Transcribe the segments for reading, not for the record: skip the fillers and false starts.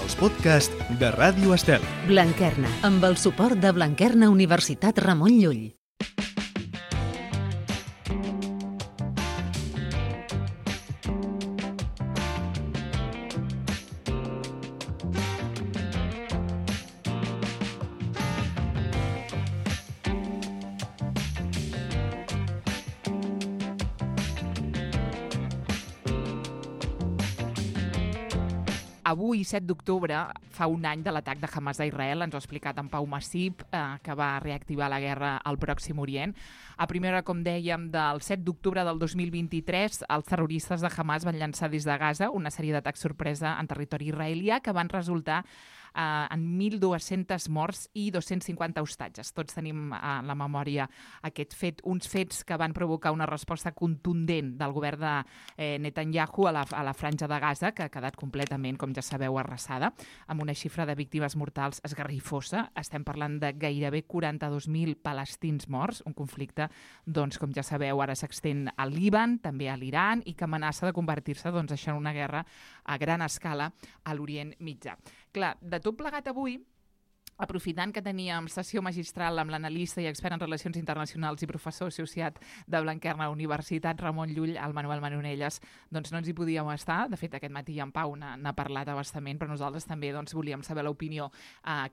els podcasts de Ràdio Estel. Blanquerna, amb el suport de Blanquerna Universitat Ramon Llull. Avui, 7 d'octubre, fa un any de l'atac de Hamas a Israel, ens ho ha explicat en Pau Massip, que va reactivar la guerra al Pròxim Orient. A primera hora, com dèiem, del 7 d'octubre del 2023, els terroristes de Hamas van llançar des de Gaza una sèrie d'atacs sorpresa en territori israelià que van resultar en 1.200 morts i 250 hostatges. Tots tenim a la memòria aquest fet, uns fets que van provocar una resposta contundent del govern de Netanyahu a la franja de Gaza, que ha quedat completament, com ja sabeu, arrasada, amb una xifra de víctimes mortals esgarrifosa. Estem parlant de gairebé 42.000 palestins morts, un conflicte, doncs, com ja sabeu, ara s'extén al Líban, també a l'Iran, i que amenaça de convertir-se, doncs, això en una guerra a gran escala a l'Orient Mitjà. Clar, de tot plegat avui, aprofitant que teníem sessió magistral amb l'analista i expert en relacions internacionals i professor associat de Blanquerna Universitat Ramon Llull, el Manuel Manonelles, doncs no ens hi podíem estar. De fet, aquest matí en Pau n'ha parlat a bastament, però nosaltres també volíem saber l'opinió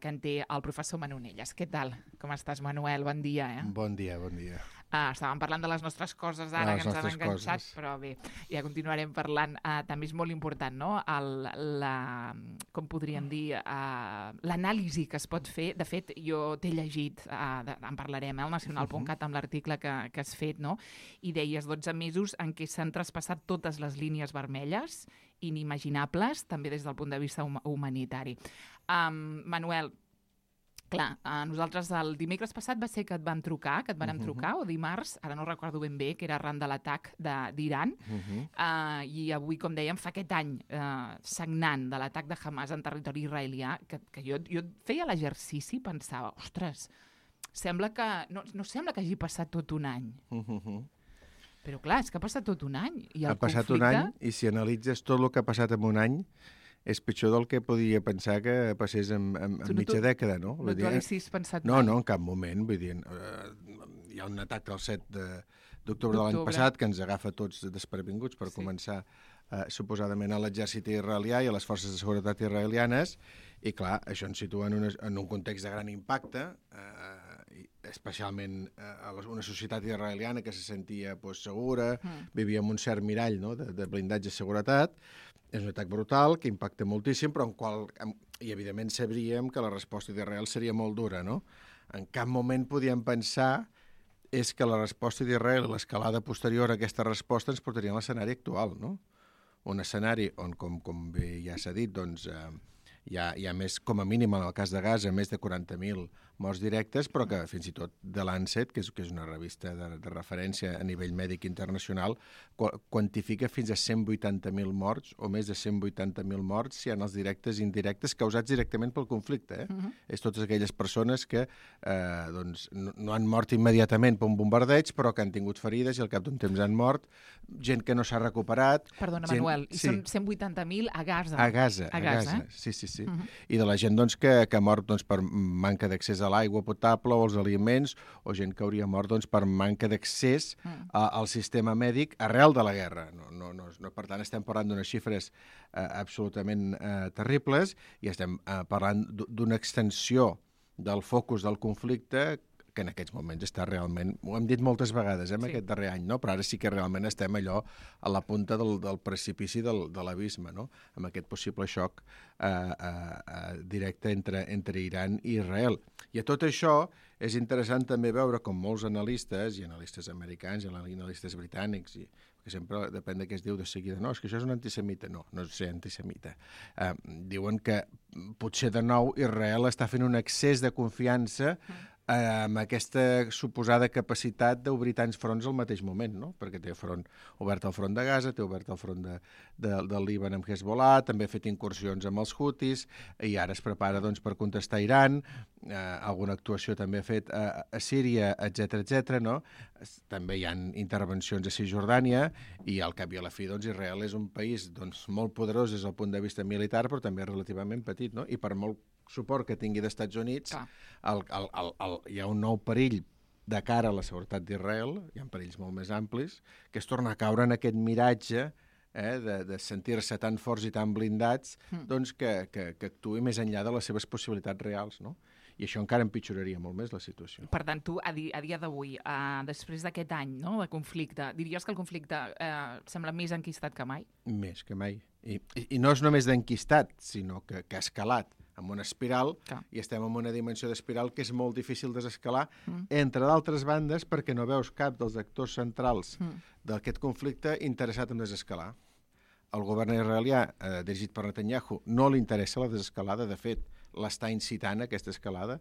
que en té el professor Manonelles. Què tal? Com estàs, Manuel? Bon dia. Bon dia, bon dia. Estàvem parlant de les nostres coses ara, que ens han enganxat, però bé, ja continuarem parlant. També és molt important, no?, com podríem dir, l'anàlisi que es pot fer. De fet, jo t'he llegit, en parlarem, al nacional.cat, amb l'article que has fet, no?, i deies 12 mesos en què s'han traspassat totes les línies vermelles, inimaginables, també des del punt de vista humanitari. Manuel, clar, nosaltres el dimecres passat va ser que et vam trucar, trucar, o dimarts, ara no recordo ben bé, que era arran de l'atac d'Iran, i avui, com dèiem, fa aquest any sagnant de l'atac de Hamas en territori israelià, que jo feia l'exercici i pensava, ostres, sembla que no sembla que hagi passat tot un any. Però clar, és que ha passat tot un any. I el passat un any, i si analitzes tot el que ha passat en un any, és pitjor del que podia pensar que passés en mitja dècada, no? No t'ho haguessis pensat mai? No, en cap moment. Vull dir, hi ha un atac del 7 d'octubre de l'any passat que ens agafa tots desprevinguts per començar suposadament a l'exèrcit israelià i a les forces de seguretat israelianes, i clar, això ens situa en un context de gran impacte, especialment a una societat israeliana que se sentia segura, vivia en un cert mirall, no?, de blindatge de seguretat. És un atac brutal, que impacta moltíssim, però i evidentment sabríem que la resposta d'Israel seria molt dura, no? En cap moment podíem pensar és que la resposta d'Israel i l'escalada posterior a aquesta resposta ens portarien a l'escenari actual, no? Un escenari on, com bé ja s'ha dit, doncs hi ha més, com a mínim en el cas de Gaza, més de 40.000 morts directes, però que fins i tot The Lancet, que és una revista de referència a nivell mèdic internacional, quantifica fins a 180.000 morts, o més de 180.000 morts, si hi ha els directes i indirectes causats directament pel conflicte. És totes aquelles persones que no han mort immediatament per un bombardeig, però que han tingut ferides i al cap d'un temps han mort, gent que no s'ha recuperat... Perdona, Manuel, i són 180.000 a Gaza. A Gaza, sí. I de la gent que ha mort per manca d'accés a l'aigua potable o als aliments, o gent que hauria mort per manca d'accés al sistema mèdic arrel de la guerra. Per tant, estem parlant d'unes xifres absolutament terribles i estem parlant d'una extensió del focus del conflicte que en aquests moments està realment, ho hem dit moltes vegades aquest darrer any, no? Però ara sí que realment estem allò a la punta del precipici de l'abisme, no? Amb aquest possible xoc directe entre Iran i Israel. I a tot això és interessant també veure com molts analistes, i analistes americans i analistes britànics, que sempre depèn de què es diu de seguida, no, és que això és un antisemita. No és ser antisemita. Diuen que potser de nou Israel està fent un excés de confiança amb aquesta suposada capacitat d'obrir tants fronts al mateix moment, no? Perquè té obert el front de Gaza, té obert el front del Líban amb Hezbollah, també ha fet incursions amb els Houthis, i ara es prepara per contestar Iran, alguna actuació també ha fet a Síria, etc., no? també hi ha intervencions a Cisjordània i al cap i a la fi doncs, Israel és un país molt poderós des del punt de vista militar, però també relativament petit, no? I per molt suport que tingui d'Estats Units, hi ha un nou perill de cara a la seguretat d'Israel, hi ha perills molt més amplis, que es torna a caure en aquest miratge de sentir-se tan forts i tan blindats doncs que actuï més enllà de les seves possibilitats reals, no? I això encara empitjoraria molt més la situació. Per tant, tu, a dia d'avui, després d'aquest any de conflicte, diries que el conflicte sembla més enquistat que mai? Més que mai. I no és només d'enquistat, sinó que ha escalat amb una espiral, i estem en una dimensió d'espiral que és molt difícil desescalar, entre d'altres bandes, perquè no veus cap dels actors centrals d'aquest conflicte interessat en desescalar. El govern israelià, dirigit per Netanyahu, no li interessa la desescalada, de fet, l'està incitant aquesta escalada.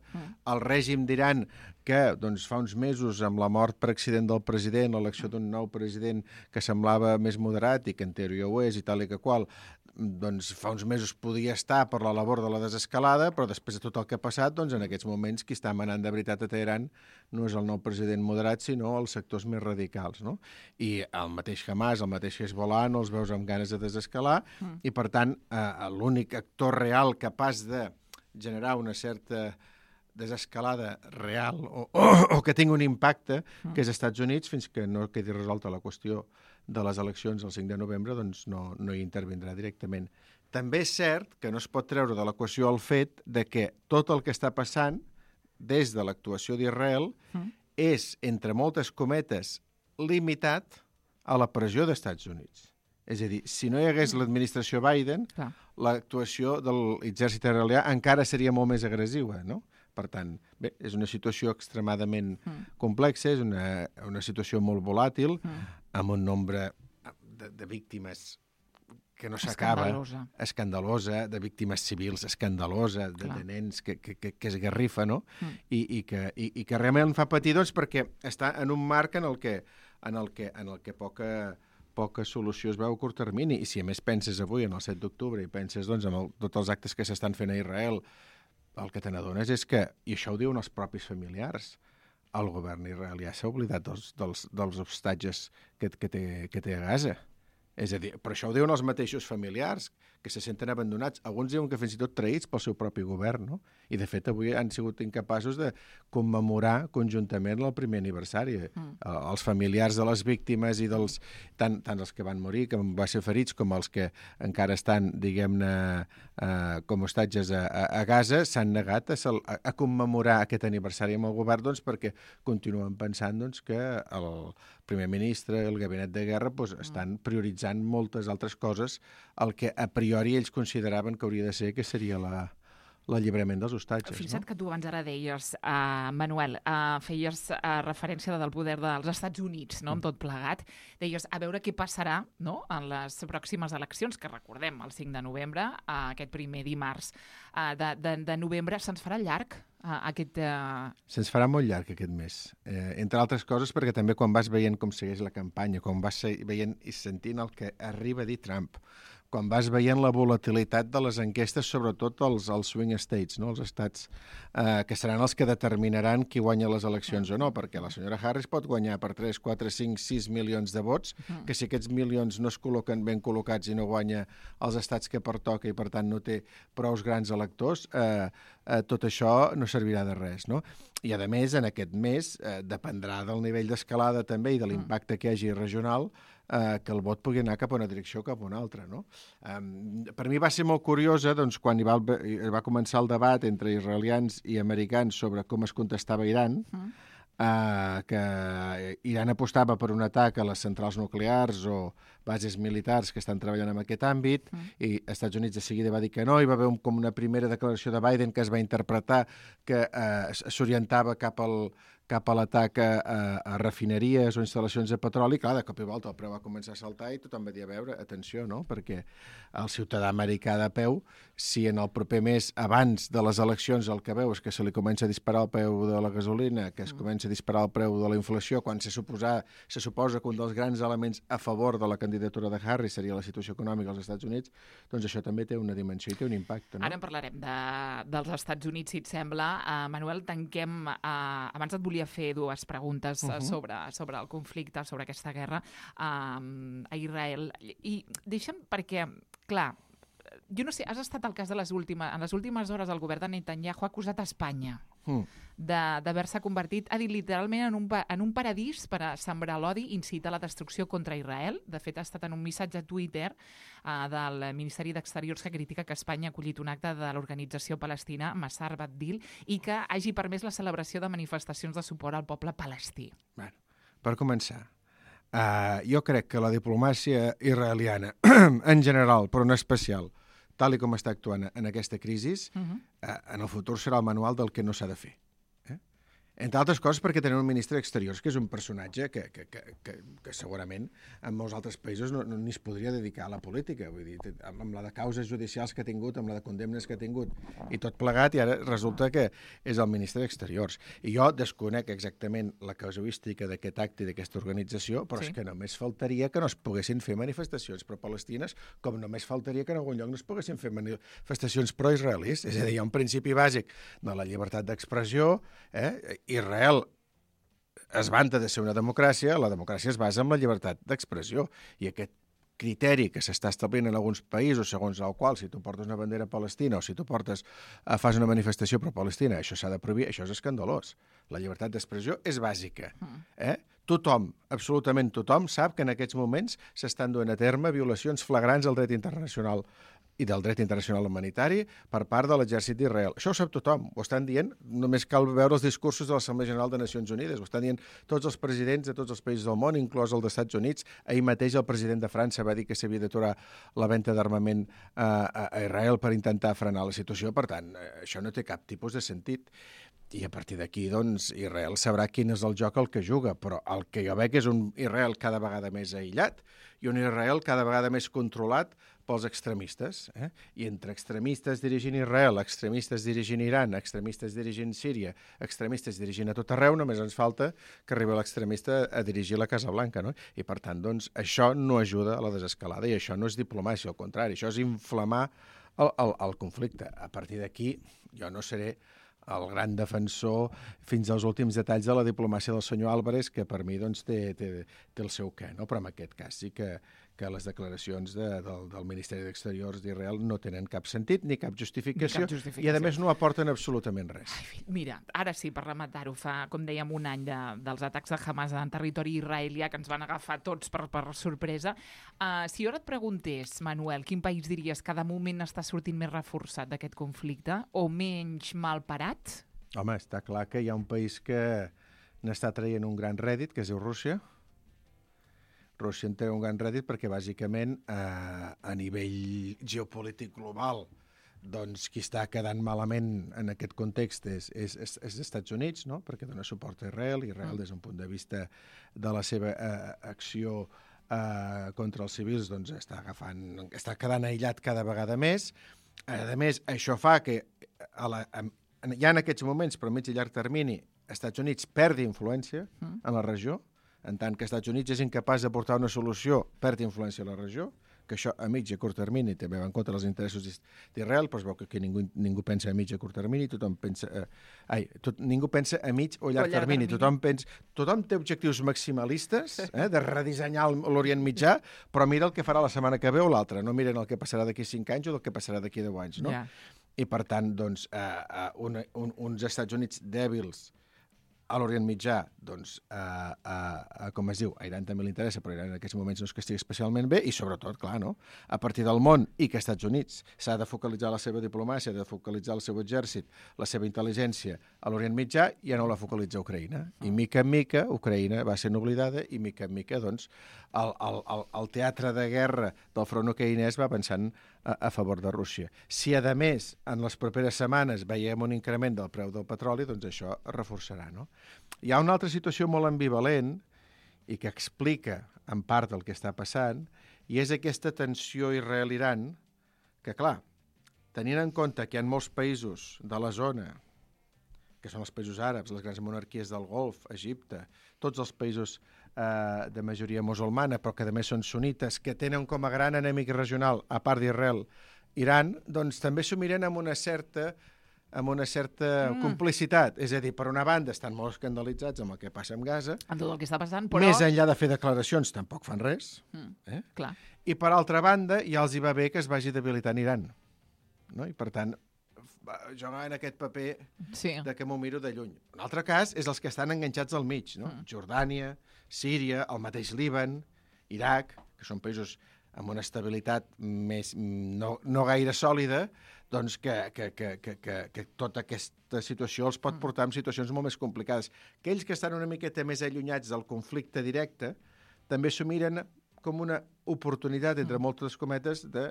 El règim d'Iran, que fa uns mesos, amb la mort per accident del president, l'elecció d'un nou president que semblava més moderat i que en teoria ho és i tal i que qual, fa uns mesos podia estar per la labor de la desescalada, però després de tot el que ha passat, en aquests moments qui està manant de veritat a Teheran no és el nou president moderat, sinó els sectors més radicals, no? I el mateix Hamas, el mateix Hezbollah, no els veus amb ganes de desescalar, i per tant, l'únic actor real capaç de generar una certa desescalada real o que tingui un impacte, que és als Estats Units, fins que no quedi resolta la qüestió de les eleccions el 5 de novembre, doncs no hi intervindrà directament. També és cert que no es pot treure de l'equació el fet de que tot el que està passant des de l'actuació d'Israel és, entre moltes cometes, limitat a la pressió dels Estats Units. És a dir, si no hi hagués l'administració Biden, l'actuació de l'exèrcit israelià encara seria molt més agressiva, no? Per tant, bé, és una situació extremadament complexa, és una situació molt volàtil, amb un nombre de víctimes que no s'acaba, escandalosa, de víctimes civils escandalosa, de nens que es garrifa, no? I que realment fa patir, doncs, perquè està en un marc en el que poca solució es veu a curt termini. I si a més penses avui, en el 7 d'octubre, i penses en tots els actes que s'estan fent a Israel, el que te n'adones és que, i això ho diuen els propis familiars, el govern israelià s'ha oblidat dels hostatges que té a Gaza. És a dir, per això ho diuen els mateixos familiars, que se senten abandonats. Alguns diuen que fins i tot traïts pel seu propi govern, no? I, de fet, avui han sigut incapaços de commemorar conjuntament el primer aniversari. Els familiars de les víctimes i tant els que van morir, que van ser ferits, com els que encara estan, diguem-ne, com hostatges a Gaza, s'han negat a commemorar aquest aniversari amb el govern, doncs, perquè continuen pensant que el primer ministre i el gabinet de guerra estan prioritzant moltes altres coses, el que a priori ells consideraven que hauria de ser, que seria l'alliberament dels hostatges. Fixa't que tu abans ara deies, Manuel, feies referència del poder dels Estats Units, no?, amb tot plegat. Deies, a veure què passarà, no?, en les pròximes eleccions, que recordem, el 5 de novembre, aquest primer dimarts de novembre. Se'ns farà llarg aquest... Se'ns farà molt llarg aquest mes. Entre altres coses, perquè també quan vas veient com segueix la campanya, quan vas veient i sentint el que arriba a dir Trump, quan vas veient la volatilitat de les enquestes, sobretot els swing states, no? Els estats que seran els que determinaran qui guanya les eleccions o no, perquè la senyora Harris pot guanyar per 3, 4, 5, 6 milions de vots, que si aquests milions no es col·loquen ben col·locats i no guanya els estats que pertoca i, per tant, no té prous grans electors, tot això no servirà de res, no? I, a més, en aquest mes dependrà del nivell d'escalada també i de l'impacte que hi hagi regional, que el vot pugui anar cap a una direcció o cap a una altra, no? Per mi va ser molt curiosa, doncs, quan hi va començar el debat entre israelians i americans sobre com es contestava a Iran, que Iran apostava per un atac a les centrals nuclears o bases militars que estan treballant en aquest àmbit, i els Estats Units de seguida va dir que no, i va haver com una primera declaració de Biden que es va interpretar que s'orientava cap a l'atac a refineries o instal·lacions de petroli. Clar, de cop i volta el preu va començar a saltar i tothom va dir, a veure, atenció, no? Perquè el ciutadà americà de peu, si en el proper mes, abans de les eleccions, el que veu és que se li comença a disparar el preu de la gasolina, que es comença a disparar el preu de la inflació, quan se suposa que un dels grans elements a favor de la candidatura de Harris seria la situació econòmica als Estats Units, doncs això també té una dimensió i té un impacte, no? Ara en parlarem dels Estats Units, si et sembla. Manuel, tanquem... Abans et volia volia fer dues preguntes sobre el conflicte, sobre aquesta guerra a Israel. I deixa'm perquè, clar, jo no sé, has estat al cas en les últimes hores el govern de Netanyahu ha acusat a Espanya d'haver-se convertit, ha dit literalment en un paradís per a sembrar l'odi i incitar la destrucció contra Israel. De fet, ha estat en un missatge a Twitter del Ministeri d'Exteriors que critica que Espanya ha acollit un acte de l'organització palestina Massar Bat-Dil i que hagi permès la celebració de manifestacions de suport al poble palestí. Bueno, per començar, jo crec que la diplomàcia israeliana, en general, però en especial, tal com està actuant en aquesta crisi, en el futur serà el manual del que no s'ha de fer. Entre altres coses perquè tenen un ministre d'Exteriors que és un personatge que segurament en molts altres països no ni es podria dedicar a la política. Vull dir, amb la de causes judicials que ha tingut, amb la de condemnes que ha tingut i tot plegat, i ara resulta que és el ministre d'Exteriors. I jo desconec exactament la casuística d'aquest acte i d'aquesta organització, però és que només faltaria que no es poguessin fer manifestacions pro-palestines, com només faltaria que en algun lloc no es poguessin fer manifestacions pro-israelis. És a dir, hi ha un principi bàsic de la llibertat d'expressió, Israel es vanta de ser una democràcia, la democràcia es basa en la llibertat d'expressió, i aquest criteri que s'està establint en alguns països segons el qual si tu portes una bandera palestina o si tu fas una manifestació pro-palestina, això s'ha de prohibir, això és escandalós. La llibertat d'expressió és bàsica. Tothom, absolutament tothom, sap que en aquests moments s'estan duent a terme violacions flagrants del dret internacional i del dret internacional humanitari per part de l'exèrcit d'Israel. Això ho sap tothom, ho estan dient, només cal veure els discursos de l'Assemblea General de Nacions Unides, ho estan dient tots els presidents de tots els països del món, inclòs el dels Estats Units. Ahir mateix el president de França va dir que s'havia d'aturar la venda d'armament a Israel per intentar frenar la situació. Per tant, això no té cap tipus de sentit. I a partir d'aquí, doncs, Israel sabrà quin és el joc al que juga, però el que jo veig és un Israel cada vegada més aïllat i un Israel cada vegada més controlat pels extremistes. I entre extremistes dirigint Israel, extremistes dirigint Iran, extremistes dirigint Síria, extremistes dirigint a tot arreu, només ens falta que arribi l'extremista a dirigir la Casa Blanca, no? I per tant, doncs, això no ajuda a la desescalada i això no és diplomàcia, al contrari, això és inflamar el conflicte. A partir d'aquí, jo no seré el gran defensor fins als últims detalls de la diplomàcia del senyor Álvarez, que per mi doncs, té el seu què, no? Però en aquest cas sí que les declaracions del Ministeri d'Exteriors d'Israel no tenen cap sentit ni cap justificació, i a més no aporten absolutament res. Mira, ara sí, per rematar-ho, fa, com dèiem, un any dels atacs de Hamas en territori israelià que ens van agafar tots per sorpresa. Si jo ara et preguntés, Manuel, quin país diries que de moment està sortint més reforçat d'aquest conflicte o menys mal parat? Home, està clar que hi ha un país que n'està traient un gran rèdit, que es diu Rússia. Rússia en té un gran rèdit perquè, bàsicament, a nivell geopolític global, doncs qui està quedant malament en aquest context és Estats Units, no? Perquè dona suport a Israel, i Israel, des d'un punt de vista de la seva acció contra els civils, doncs està quedant aïllat cada vegada més. A més, això fa que ja en aquests moments, però a mig i llarg termini, Estats Units perdi influència en la regió, en tant que Estats Units és incapaç de portar una solució, perd influència a la regió, que això a mig i a curt termini també va en contra dels interessos d'Israel, però es veu que ningú pensa a mig i a curt termini, ningú pensa a mig o llarg termini. Tothom té objectius maximalistes, de redissenyar l'Orient Mitjà, però mira el que farà la setmana que ve o l'altra, no miren el que passarà d'aquí 5 anys o el que passarà d'aquí 10 anys, no? I per tant, doncs, uns Estats Units dèbils a l'Orient Mitjà, doncs, com es diu, a Iran també li interessa, però Iran en aquests moments no és que estigui especialment bé, i sobretot, clar, no? A partir del món, i que Estats Units s'ha de focalitzar la seva diplomàcia, de focalitzar el seu exèrcit, la seva intel·ligència a l'Orient Mitjà, ja no la focalitza Ucraïna. I mica en mica, Ucraïna va sent oblidada, i mica en mica, doncs, el teatre de guerra del front ucraïnès va avançant a favor de Rússia. Si, a més, en les properes setmanes veiem un increment del preu del petroli, doncs això es reforçarà, no? Hi ha una altra situació molt ambivalent i que explica en part el que està passant, i és aquesta tensió Israel-Iran que, clar, tenint en compte que hi ha molts països de la zona, que són els països àrabs, les grans monarquies del Golf, Egipte, tots els països de majoria musulmana, però que a més són sunites, que tenen com a gran enemic regional, a part d'Israel, Iran, doncs també s'ho miren amb una certa amb una certa complicitat. És a dir, per una banda estan molt escandalitzats amb el que passa amb Gaza, En tot el que està passant, però... més enllà de fer declaracions tampoc fan res, Clar. i per altra banda ja els hi va bé que es vagi debilitant Iran. No? I per tant, jugar en aquest paper Sí. de que m'ho miro de lluny. Un altre cas és els que estan enganxats al mig, no? Jordània, Síria, el mateix Líban, Iraq, que són països amb una estabilitat més no gaire sòlida, doncs que tota aquesta situació els pot portar en situacions molt més complicades. Aquells que estan una miqueta més allunyats del conflicte directe també s'ho miren com una oportunitat, entre moltes cometes, de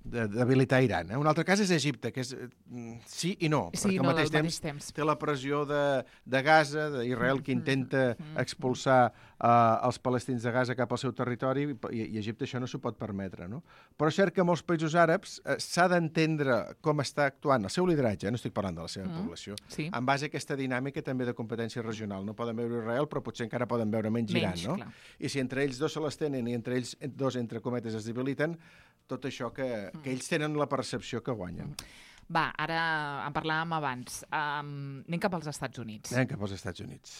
debilitar Iran. Un altre cas és Egipte, que és sí i no, Sí, perquè no, al mateix temps té la pressió de Gaza, d'Israel, que intenta expulsar els palestins de Gaza cap al seu territori, i Egipte això no s'ho pot permetre. No? Però és cert que molts països àrabs s'ha d'entendre com està actuant el seu lideratge, no estic parlant de la seva població, en base a aquesta dinàmica també de competència regional. No poden veure Israel, però potser encara poden veure menys Iran. No? Clar. I si entre ells dos se les tenen i entre ells dos, entre cometes, es debiliten, tot això que ells tenen la percepció que guanyen. Va, ara en parlàvem abans. Anem cap als Estats Units. Anem cap als Estats Units.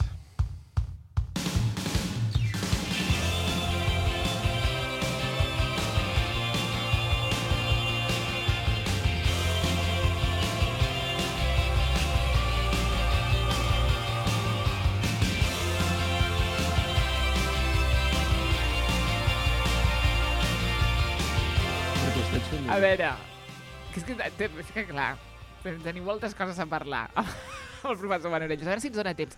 A veure, és que clar, tenim moltes coses a parlar el professor Manorellos. A veure si ens dona temps.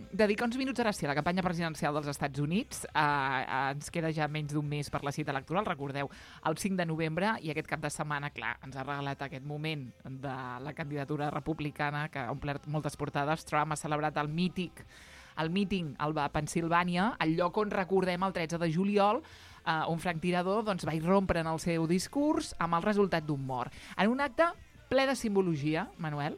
Dedicar uns minuts ara sí a la campanya presidencial dels Estats Units. Ens queda ja menys d'un mes per la cita electoral, recordeu, el 5 de novembre, i aquest cap de setmana, clar, ens ha regalat aquest moment de la candidatura republicana que ha omplert moltes portades. Trump ha celebrat el míting a Pennsilvània, el lloc on recordem el 13 de juliol, un franctirador doncs, va irrompre en el seu discurs amb el resultat d'un mort. En un acte ple de simbologia, Manuel,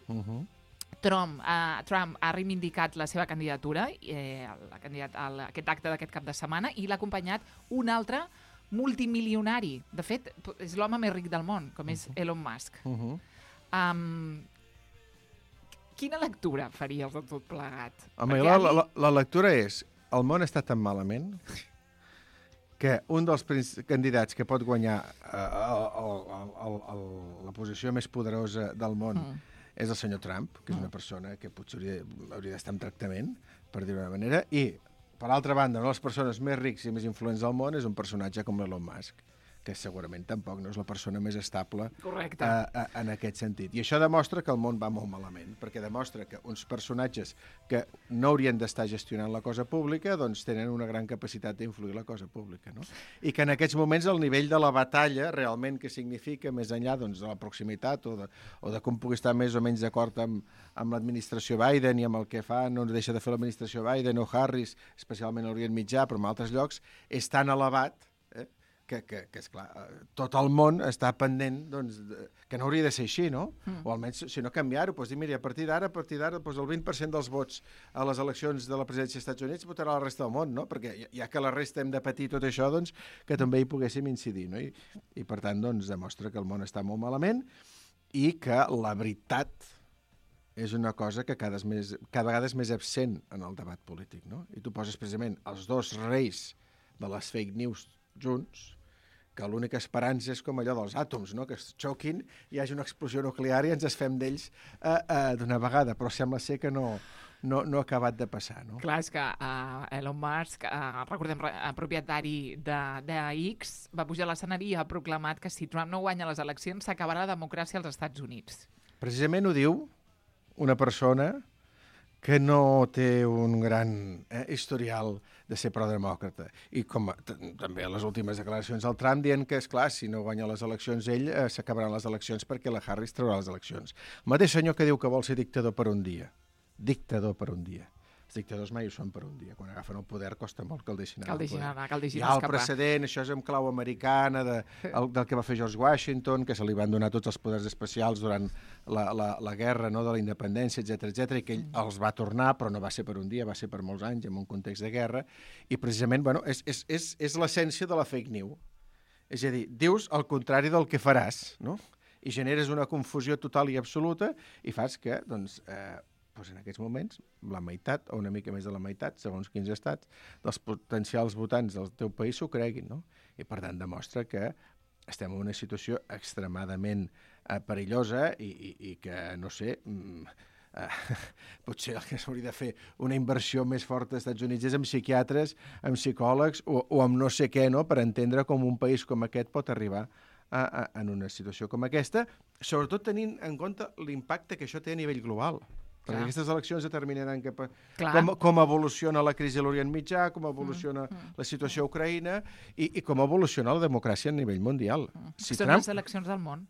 Trump ha reivindicat la seva candidatura, aquest acte d'aquest cap de setmana, i l'ha acompanyat un altre multimilionari. De fet, és l'home més ric del món, com és Elon Musk. Quina lectura faries de tot plegat? Home, la lectura és: el món està tan malament que un dels candidats que pot guanyar la posició més poderosa del món és el senyor Trump, que és una persona que potser hauria d'estar en tractament, per dir-ho d'una manera, i, per altra banda, una de les persones més rics i més influents del món és un personatge com Elon Musk, que segurament tampoc no és la persona més estable en aquest sentit. I això demostra que el món va molt malament, perquè demostra que uns personatges que no haurien d'estar gestionant la cosa pública doncs tenen una gran capacitat d'influir la cosa pública. No? I que en aquests moments el nivell de la batalla realment que significa, més enllà doncs, de la proximitat o de com pugui estar més o menys d'acord amb l'administració Biden i amb el que fa, no deixa de fer l'administració Biden o Harris, especialment a l'Orient Mitjà, però en altres llocs, és tan elevat que esclar, tot el món està pendent doncs, que no hauria de ser així, no? O almenys, si no canviar-ho, doncs dir, mira, a partir d'ara, doncs el 20% dels vots a les eleccions de la presidència dels Estats Units votarà la resta del món, no? Perquè ja que la resta hem de patir tot això, doncs que també hi poguéssim incidir, no? I per tant, doncs, demostra que el món està molt malament i que la veritat és una cosa que cada vegada és més absent en el debat polític, no? I tu poses precisament els dos reis de les fake news junts, que l'única esperança és com allò dels àtoms, no? Que es xoquin, hi hagi una explosió nuclear i ens es fem d'ells d'una vegada, però sembla ser que no ha acabat de passar. No? Clar, és que Elon Musk, recordem, propietari de X, va pujar a l'escenari i ha proclamat que si Trump no guanya les eleccions s'acabarà la democràcia als Estats Units. Precisament ho diu una persona que no té un gran historial de ser pro-demòcrata. I com també les últimes declaracions del Trump dient que, és clar, si no guanya les eleccions ell, s'acabaran les eleccions perquè la Harris traurà les eleccions. El mateix senyor que diu que vol ser dictador per un dia. Dictador per un dia. Els dictadors mai ho són per un dia. Quan agafen el poder costa molt que el deixin anar. Hi ha el precedent, això és en clau americana, del que va fer George Washington, que se li van donar tots els poders especials durant la guerra, no, de la independència, etc i que ell els va tornar, però no va ser per un dia, va ser per molts anys, en un context de guerra, i precisament, bueno, és l'essència de la fake news. És a dir, dius el contrari del que faràs, no? i generes una confusió total i absoluta i fas que, doncs en aquests moments, la meitat o una mica més de la meitat, segons quins estats, dels potencials votants del teu país s'ho creguin, no? I, per tant, demostra que estem en una situació extremadament perillosa i que, no sé, potser el que s'hauria de fer una inversió més forta als Estats Units és amb psiquiatres, amb psicòlegs o amb no sé què, no?, per entendre com un país com aquest pot arribar en una situació com aquesta, sobretot tenint en compte l'impacte que això té a nivell global. Perquè aquestes eleccions determinaran com evoluciona la crisi a l'Orient Mitjà, com evoluciona la situació a Ucraïna i com evoluciona la democràcia a nivell mundial. Són les eleccions del món.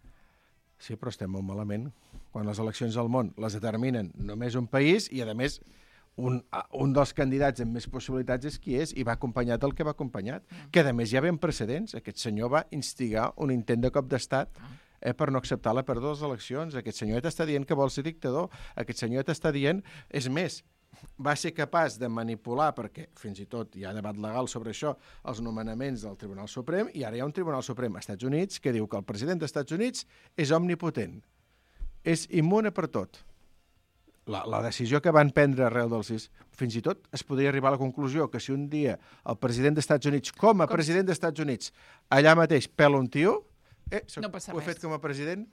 Sí, però estem molt malament. Quan les eleccions del món les determinen només un país i, a més, un dels candidats amb més possibilitats és qui és i va acompanyat del que va acompanyat. Que, a més, hi ha ben precedents. Aquest senyor va instigar un intent de cop d'estat per no acceptar la pèrdua de les eleccions. Aquest senyoret està dient que vol ser dictador. Aquest senyoret està dient... És més, va ser capaç de manipular, perquè fins i tot hi ha debat legal sobre això, els nomenaments del Tribunal Suprem, i ara hi ha un Tribunal Suprem als Estats Units que diu que el president dels Estats Units és omnipotent, és immune per tot. La decisió que van prendre arrel del 6, fins i tot es podria arribar a la conclusió que si un dia el president dels Estats Units, com a president dels Estats Units, allà mateix pela un tio, no passa res. Ho he fet com a president,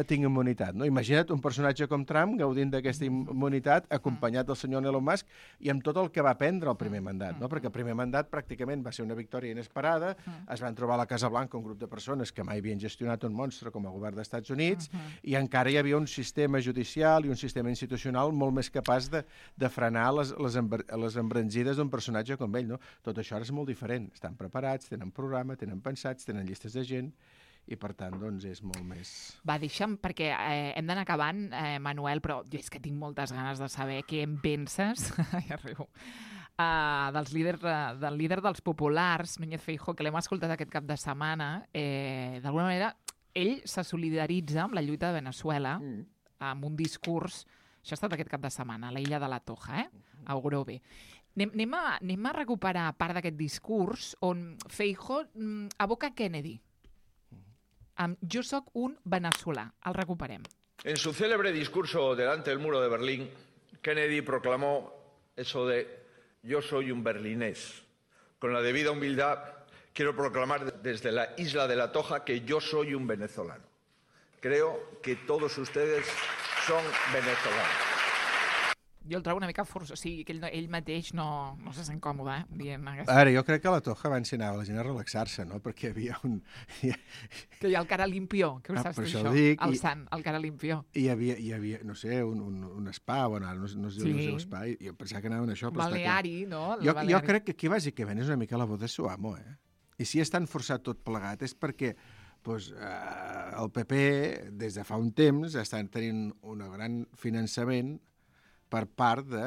tinc immunitat. No? Imagina't un personatge com Trump gaudint d'aquesta immunitat, acompanyat del senyor Elon Musk, i amb tot el que va prendre el primer mandat. No? Perquè el primer mandat pràcticament va ser una victòria inesperada, es van trobar a la Casa Blanca un grup de persones que mai havien gestionat un monstre com a govern dels Estats Units, i encara hi havia un sistema judicial i un sistema institucional molt més capaç de frenar les embranzides d'un personatge com ell. No? Tot això ara és molt diferent. Estan preparats, tenen programa, tenen pensats, tenen llistes de gent, i, per tant, doncs, és molt més... Va, deixa'm, perquè hem d'anar acabant, Manuel, però jo és que tinc moltes ganes de saber què en penses, ja arribo, del líder dels populars, Núñez Feijóo, que l'hem escoltat aquest cap de setmana. D'alguna manera, ell se solidaritza amb la lluita de Veneçuela, amb un discurs, això ha estat aquest cap de setmana, a l'illa de la Toja, a Grove. Anem a recuperar part d'aquest discurs on Feijóo aboca Kennedy. Yo soy un venezolano. Al recuperem. En su célebre discurso delante del muro de Berlín, Kennedy proclamó eso de yo soy un berlinés. Con la debida humildad, quiero proclamar desde la isla de la Toja que yo soy un venezolano. Creo que todos ustedes son venezolanos. Jo el trobo una mica forçós, o sigui, que ell mateix no se sent còmode, dient aquesta... Ara, jo crec que a la Toja abans s'hi anava la gent a relaxar-se, no? Perquè hi havia un... Que hi ha el cara limpió, que ho saps tu això? El sant, el cara limpió. I hi havia, no sé, un spa, bueno, no es diu el seu spa, i jo pensava que anaven a això, però Baleari, no? Jo crec que aquí bàsicament és una mica la boda de su amo, I si és tan forçat tot plegat és perquè el PP, des de fa un temps, està tenint un gran finançament per part de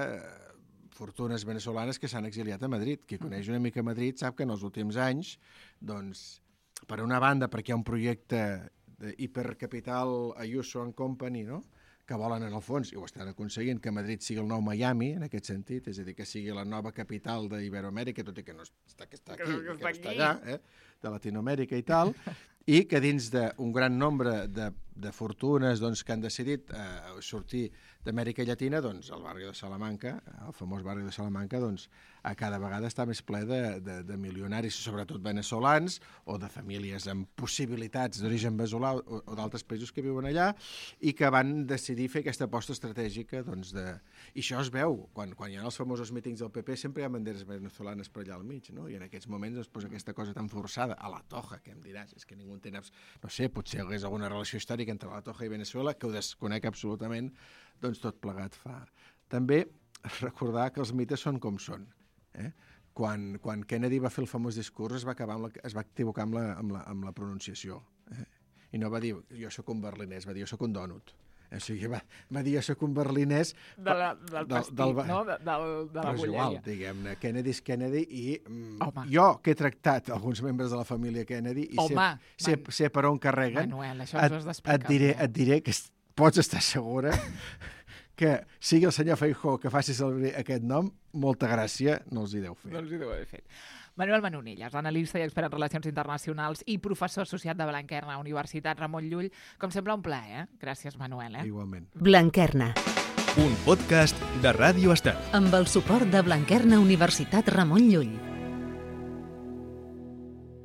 fortunes venezolanes que s'han exiliat a Madrid. Qui coneix una mica Madrid sap que en els últims anys, doncs, per una banda, perquè hi ha un projecte d'hipercapital Ayuso and Company, no?, que volen, en el fons, i ho estan aconseguint, que Madrid sigui el nou Miami, en aquest sentit, és a dir, que sigui la nova capital d'Iberoamèrica, tot i que no està aquí, que no està allà, de Latinoamèrica i tal, i que dins d'un gran nombre de fortunes que han decidit sortir d'Amèrica Llatina, doncs el barri de Salamanca, el famós barri de Salamanca, doncs a cada vegada està més ple de milionaris, sobretot venezolans, o de famílies amb possibilitats d'origen veneçolà o d'altres països que viuen allà, i que van decidir fer aquesta aposta estratègica, doncs, I això es veu, quan hi ha els famosos mítings del PP, sempre hi ha banderes venezolanes per allà al mig, no? I en aquests moments es posa aquesta cosa tan forçada, a la Toja, que em diràs, és que ningú en té... No sé, potser hi hagués alguna relació històrica entre la Toja i Veneçuela, que ho desconec absolutament, doncs tot plegat fa. També recordar que els mites són com són. Quan Kennedy va fer el famós discurs es va equivocar amb la pronunciació. I no va dir jo sóc un berlinès, va dir jo sóc un dònut. O sigui, va dir jo sóc un berlinès... Del pastit, no? De la bolleria. És igual, diguem-ne, Kennedy és Kennedy i jo que he tractat alguns membres de la família Kennedy i sé per on carreguen, Manuel, això ens ho has d'explicar. et diré que pots estar segura que sigui el senyor Feijóo que faci servir aquest nom, molta gràcia no els hi deu fer. No els hi deu haver fet. Manuel Manonelles, analista i expert en relacions internacionals i professor associat de Blanquerna, Universitat Ramon Llull. Com sempre, un plaer, Gràcies, Manuel. Igualment. Blanquerna. Un podcast de Ràdio Estel. Amb el suport de Blanquerna Universitat Ramon Llull.